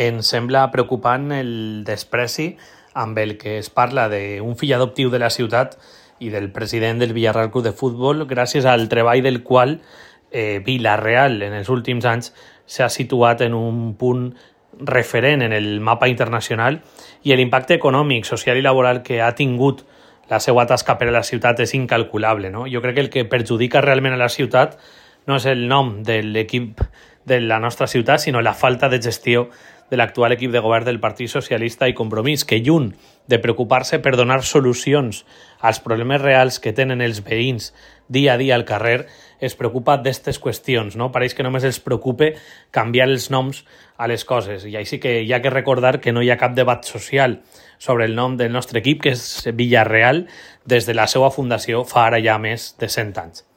Ens sembla preocupant el despreci amb el que es parla d'un fill adoptiu de la ciutat i del president del Villarreal Club de Futbol, gràcies al treball del qual Vila-real en els últims anys s'ha situat en un punt referent en el mapa internacional i l'impacte econòmic, social i laboral que ha tingut la seva tasca per a la ciutat és incalculable, no? Jo crec que el que perjudica realment a la ciutat no és el nom de l'equip de la nostra ciutat, sinó la falta de gestió de l'actual equip de govern del Partit Socialista i Compromís, que lluny de preocupar-se per donar solucions als problemes reals que tenen els veïns dia a dia al carrer, es preocupa d'aquestes qüestions, no? Pareix que només els preocupa canviar els noms a les coses, i així que hi ha que recordar que no hi ha cap debat social sobre el nom del nostre equip, que és Villarreal, des de la seva fundació fa ara ja més de 100 anys.